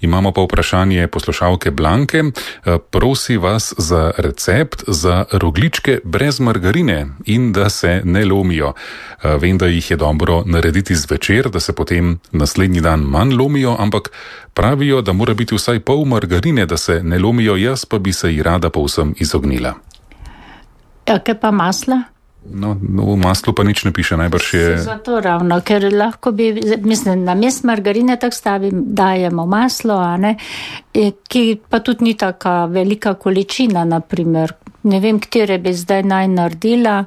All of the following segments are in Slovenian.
Imamo pa vprašanje poslušalke Blanke. Prosi vas za recept za rogljičke brez margarine in da se ne lomijo. Vem, da jih je dobro narediti zvečer, da se potem naslednji dan manj lomijo, ampak pravijo, da mora biti vsaj pol margarine, da se ne lomijo, jaz pa bi se ji rada povsem izognila. Kaj pa masla? No, v maslu pa nič ne piše, najbrž je... Zato ravno, ker lahko bi, mislim, na mest margarine tak dajemo maslo, a ne, ki pa tudi ni taka velika količina, naprimer. Ne vem, katere bi zdaj naj naredila,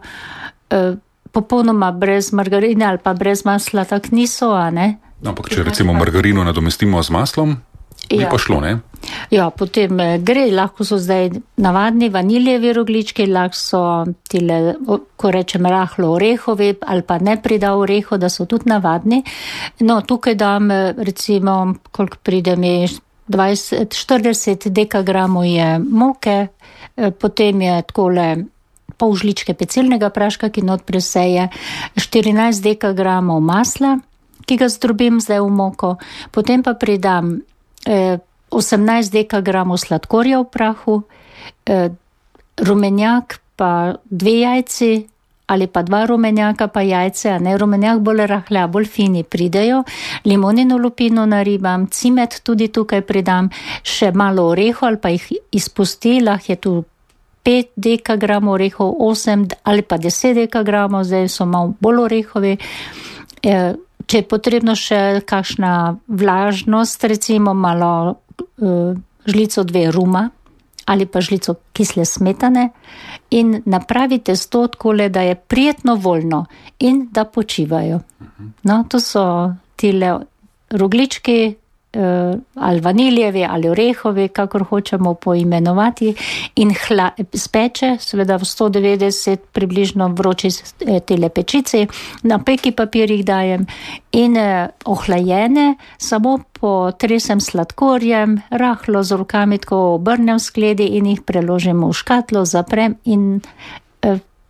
popolnoma brez margarine ali pa brez masla tak niso, a ne. Ampak če recimo margarino nadomestimo z maslom, bi pa šlo, ne? Ja, potem gre, lahko so zdaj navadni vaniljevi rogljički, lahko so tile, ko rečem, rahlo orehovi ali pa ne prida oreho, da so tudi navadni. No, tukaj dam recimo, koliko pride mi, 40 dekagramov je moke, potem je takole pol žličke pecilnega praška, ki not preseje, 14 dekagramov masla, ki ga zdrobim zdaj v moko, potem pa pridam 18 dekagramov sladkorja v prahu, rumenjak pa 2 jajci ali pa 2 rumenjaka pa jajce, a ne, rumenjak bolj rahla, bolj fini pridejo, limonino lupino naribam, cimet tudi tukaj pridam, še malo oreho ali pa jih izpustila, je tu 5 dekagramov orehov, 8 ali pa 10 dekagramov, zdaj so malo bolj orehovi. Če je potrebno še kakšna vlažnost, recimo malo žlico 2 ruma ali pa žlico kisle smetane in napravite to takole, da je prijetno voljno in da počivajo. No, to so tile rogljički, ali vaniljevi ali orehovi, kakor hočemo poimenovati, in speče, seveda v 190 približno vroči tele pečici, na peki papir jih dajem in ohlajene, samo potresem sladkorjem, rahlo z rokami tako obrnem v skledi in jih preložim v škatlo, zaprem in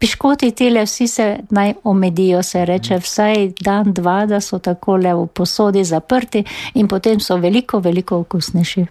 piškoti tele vsi se naj omedijo, se reče vsaj dan, 2, da so takole v posodi zaprti in potem so veliko, veliko okusnejši.